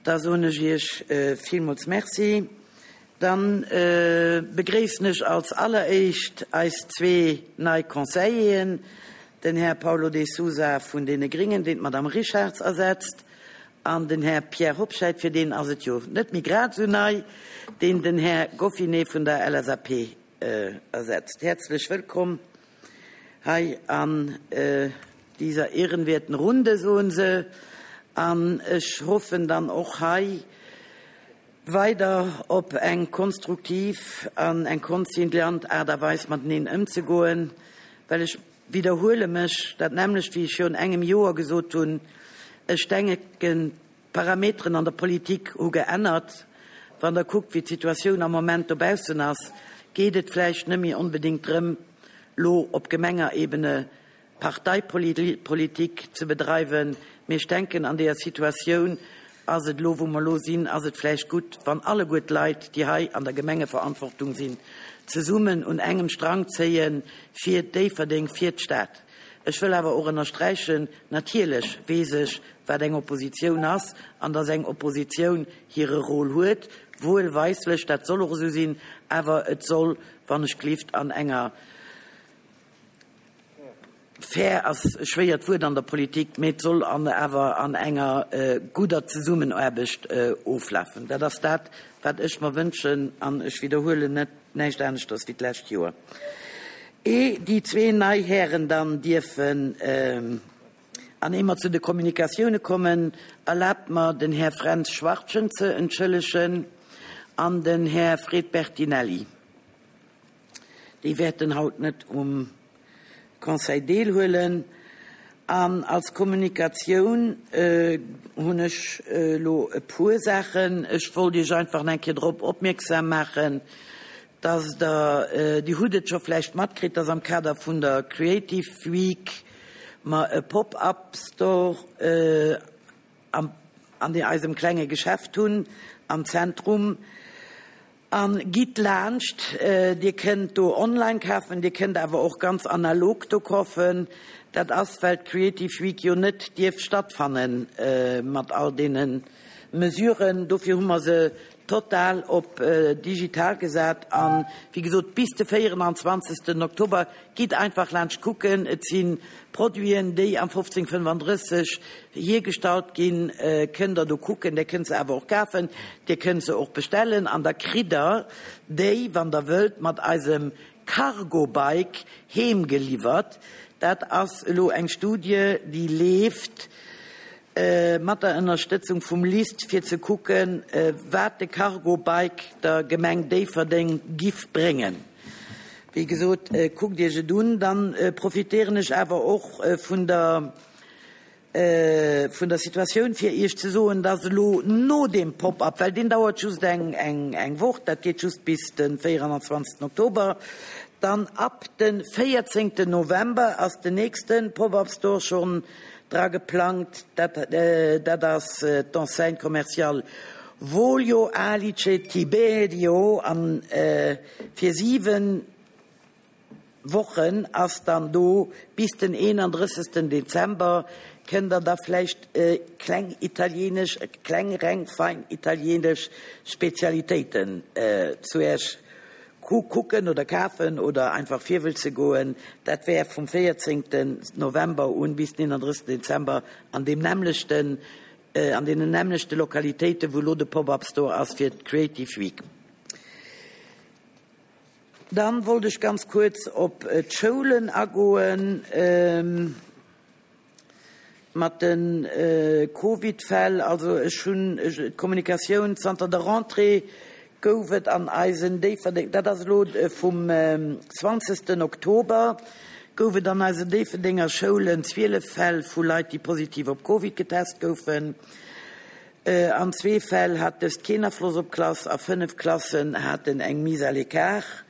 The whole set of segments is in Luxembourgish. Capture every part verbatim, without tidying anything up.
Da soen ech Iech villmools Merci. Dann begréissen ech als alleréischt eis zwee nei Conseilleren, den Här Paulo de Sousa vun deene Gringen, deen d'Madame Richarz ersetzt, an den Här Pierre Hobscheit, fir deen ass et jo net méi grad esou nei, deen den Här Goffinet vun der L S A P ersetzt. Häerzlech wëllkomm hei an dieser ehrenwerten Runde, soen se. An ech hoffen dann och hei weider op eng konstruktiv an eng konziliant Aart a Weis mateneen ëmzegoen, well ech widderhuele mech, dat nämmlecht wéi ech virun engem Joer gesot hunn: Ech denken, d'Parameteren an der Politik hu geännert. Wann Der kuckt, wéi d'Situatioun am Moment dobaussen ass, geet et vläicht net méi onbedéngt drëm, lo op Gemengerebene Parteipolitik ze bedreiwen, mee ech denken, an deeër Situatioun ass et elo, wou mer elo sinn, ass et vläicht gutt, wann alleguer d'Leit, déi hei an der Gemengeverantwortung sinn, zesummen un engem Strang zéie fir Déifferdeng, fir d'Stad. Ech wëll awer och ënnersträichen, natierlech weess ech, wat eng Oppositioun ass an dass eng Oppositioun hire Rôle huet, wuelweisslech, dat soll och esou sinn, awer et soll, wann ech gelift, an enger, fair ass e schwéiert Wuert an der Politik, mee et soll an awer an enger gudder Zesummenaarbecht oflafen. Dat ass dat, wat ech mer wënschen, an ech widderhuelen net näischt aneschters wéi d'lescht Joer. Ee déi zwee nei Hären dann dierfen an ee mer zu de Kommunikatioune kommen, erlaabt mer, den Här Fränz Schwartgen ze entschëllegen an den Här Fred Bertinelli. Déi wäerten haut net um Conseil deelhuelen. An als Kommunikatioun hunn ech elo e puer Saachen. Ech wollt Iech einfach nach eng Kéier drop opmierksam maachen, dass Der, Dir hutt et scho vläicht matkritt, dass am Kader vun der Creative Week mer e Pop-up Store am, an eisem klenge Geschäft hunn am Zentrum. A gitt laanscht, Dir kënnt do online kafen, Dir kënnt awer och ganz analog do kafen. Dat ass, well d'Creative Week jo net dierf stattfanne mat all deene Mesuren. Dofir hu mer se total op digital gesat. An, wéi gesot, bis de véieranzwanzegsten Oktober gitt einfach laanscht kucken. Et si Produiten, déi am fofzéng fënnefandrësseg hiergestallt ginn, kënnt Der do kucken. Dir kënnt se awer och kafen, Dir kënnt se och bestellen an da kritt Der déi, wann Der wëllt, mat eisem Cargo Bike heemgeliwwert. Dat ass elo eng Studie, déi leeft mat der Ënnerstëtzung vum LIST, fir ze kucken, wat de Cargo Bike der Gemeng Déifferdeng giff bréngen. Wéi gesot, kuckt Iech et un. Dann profitéieren ech awer och vun der vun der Situatioun, fir Iech ze soen, dass elo no deem Pop-up, well deen dauert just eng eng eng Woch, dat geet just bis de véieranzwanzegsten Oktober, dann ab de véierzéngten November ass den nächste Pop-up Store schonn dra geplangt. Dat dat ass d'Enseigne commerciale Volio Alice Tiberio an fir siwen Wochen ass dann do bis den eenandrëssegsten Dezember, kënnt Der da vläicht kleng italienesch, kleng reng fein italienesch Spezialitéiten zu Iech kucken oder kafen oder einfach virwëlze goen. Dat wär vum véierzéngten November un bis den eenandrëssegsten Dezember an deem nämmlechten, an deenen nämmlechte Lokalitéiten, wou elo de Pop-up Store ass fir d'Creative Week. Dann wollt ech ganz kuerz op d'Schoulen agoen mat de Covid-Fäll. Also ech hunn d'Kommunikatioun: Zanter der Rentrée gouf et an eisen Déifferdeng, dat ass elo vum zwanzegsten Oktober, gouf et an eisen Déifferdenger Schoulen zwielef Fäll vu Leit, déi positiv op Covid getest goufen. An zwee Fäll hat dëst keen Afloss op d'Klass a fënnef Klassen haten eng Mise à l'écart.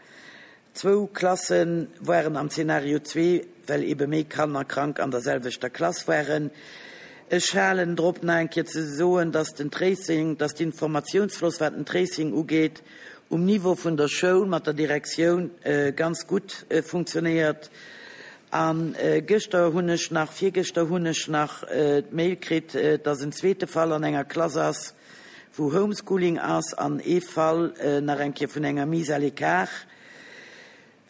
Zwou Klasse waren am Zenario zwee, well ebe méi Kanner krank an der selwechter Klass waren. Ech halen drop, nach eng Kéier ze soen, dass den Tracing, dass d'Informatiounsfloss, wat den Tracing ugeet, um Niveau vun der Schoul mat der Direktioun ganz gutt funktionéiert. A gëschter hunn ech nach, virgëschter hunn ech nach d'Mail kritt, dass en zweete Fall an enger Klass ass. wou Homeschooling ass, an ee Fall nach eng Kéier vun enger Mise à l'écart.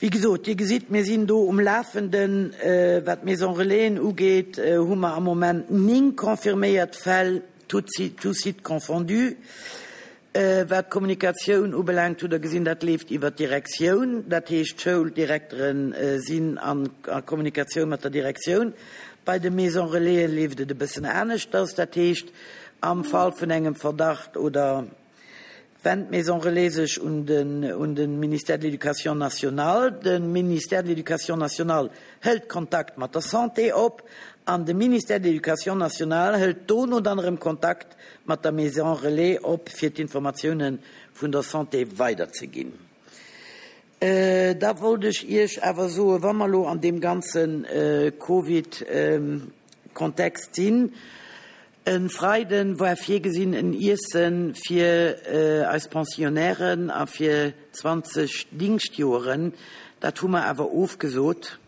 Wéi gesot, Dir gesitt, mir sinn do um Lafenden. Wat d'Maison Relaisen ugeet, hu mer am Moment néng confirméiert Fäll, tout sites confondus. Wat d'Kommunikatioun ubelaangt, hutt Der gesinn, dat leeft iwwert d'Direktioun. Dat heescht, d'Schouldirektere sinn a Kommunikatioun mat der Direktioun. Bei de Maisons Relaisen leeft et e bëssen aneschters. Dat heescht, am Fall vun engem Verdacht oder wennt d'Maison Relais sech un den, un de Ministère de l'Éducation nationale. De Ministère de l'Éducation nationale hëlt Kontakt mat der Santé op an de Ministère de l'Éducation nationale hëlt dono dann erëm Kontakt mat der Maison Relais op, fir d'Informatiounen vun der Santé weiderzeginn. Da wollt ech Iech awer soen, wa mer elo an deem ganze Covid-Kontext sinn, E Freiden war virgesinn en Iessen fir eis Pensionnairen a fir zwanzeg Dingschtjoeren. Dat hu mer awer ofgesot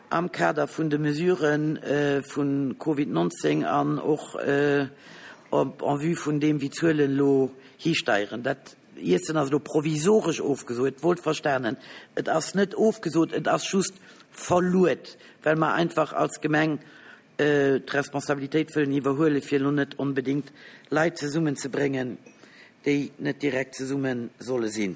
am Kader vun de Mesuren vu Covid nonzéng an och en vue vun deem wéi d'Zuelen elo histeieren. Dat Iessen ass elo provisoresch ofgesot, wuel verstanen. Et ass net ofgesot, et ass just verluet, well mer einfach als Gemeng d'Responsabilitéit wëllen iwwerhuelen, fir elo net onbedéngt Leit zesummenzebréngen, déi net direkt zesumme solle sinn.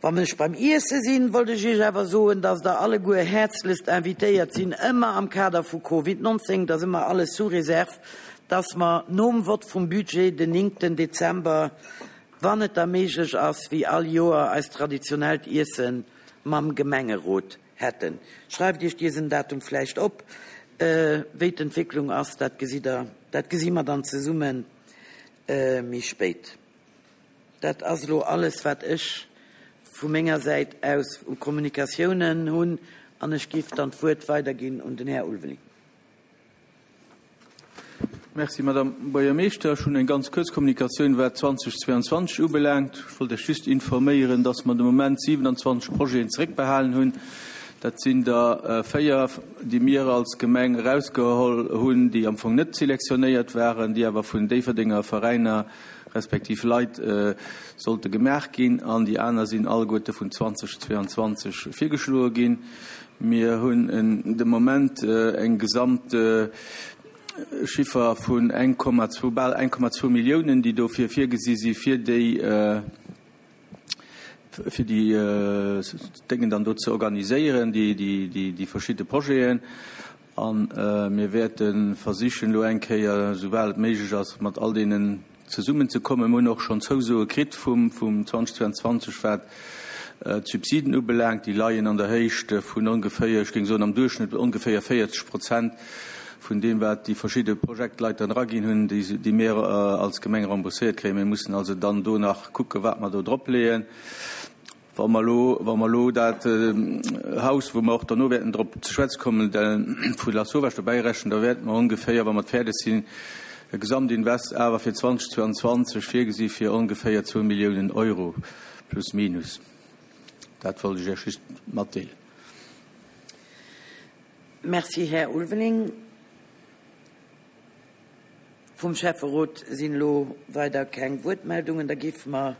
Wann ech beim Iesse sinn, wollt ech Iech awer soen, dass Der alleguer häerzlechst invitéiert sinn, ëmmer am Kader vu Covid nonzéng, dat ass ëmmer alles sous réserve, dass mer nom Vott vum Budget den néngten Dezember, wann et da méiglech ass, wéi all Joer eist traditionellt Iesse mam Gemengerot hätten. Schreift Iech diesen Datum vläicht op. Wéi d'Entwécklung ass, dat gesitt Der, dat gesi mer dann zesumme méi spéit. Dat ass elo alles, wat ech vu menger Säit aus u Kommunikatiounen hunn, an ech géif dann d'Wuert weiderginn un den Här Ulveling. Merci, Madame Buergermeeschter. Ech hunn eng ganz kuerz Kommunikatioun, wat zweitausendzweiundzwanzeg ubelaangt. Ech wollt Iech just informéieren, dass mer de Moment siewenundzwanzeg Projeten zeréckbehalen hunn. Dat sinn der véier, déi mir als Gemeng erausgeholl hunn, déi am Fong net selektionéiert waren, déi awer vun Déifferdenger Veräiner respektiv Leit sollte gemaach ginn. An déi aner sinn alleguerte vun zweitausendzweiundzwanzeg virgeschloe ginn. Mir hunn de Moment eng gesamt Chiffer vun eng Komma zwou, bal eng Komma zwou Milliounen, déi dofir virgesi si fir déi fir déi Déngen dann do ze organiséieren, déi, déi, déi, déi verschidde Projeten. An mir wäerte versichen, elo eng Kéier, soubal et méiglech ass, mat all deenen zesummenzekommen. Mir hunn och schonn Zousoe kritt vum, vum zweitausendzweiundzwanzeg, wat d'Subsiden ubelaangt. Déi leien an der Héicht vun ongeféier, ech géing soen am Duerchschnëtt ongeféier véierzeg Prozent vun deem, wat déi verschidde Projektleit dann eraginn hunn, déi, déi mir als Gemeng rembourséiert kréien. Mir mussen also dann do nach kucken, wat mer do dropleeën. Wa mer elo, wa mer elo dat Haus, wou mer och derno wäerten drop ze schwätze kommen, vu Lasauvage dobäi rechnen, da wäerte mer ongeféier, wa mer fäerdeg sinn, e Gesamtinvest awer fir zweitausendzweiundzwanzeg virgesi fir ongeféier zwou Milliounen Euro plus minus. Dat wollt ech Iech just matdeelen. Merci, Här Ulveling. Vum Schäfferot sinn elo weider keng Wuertmeldungen. Da géife mer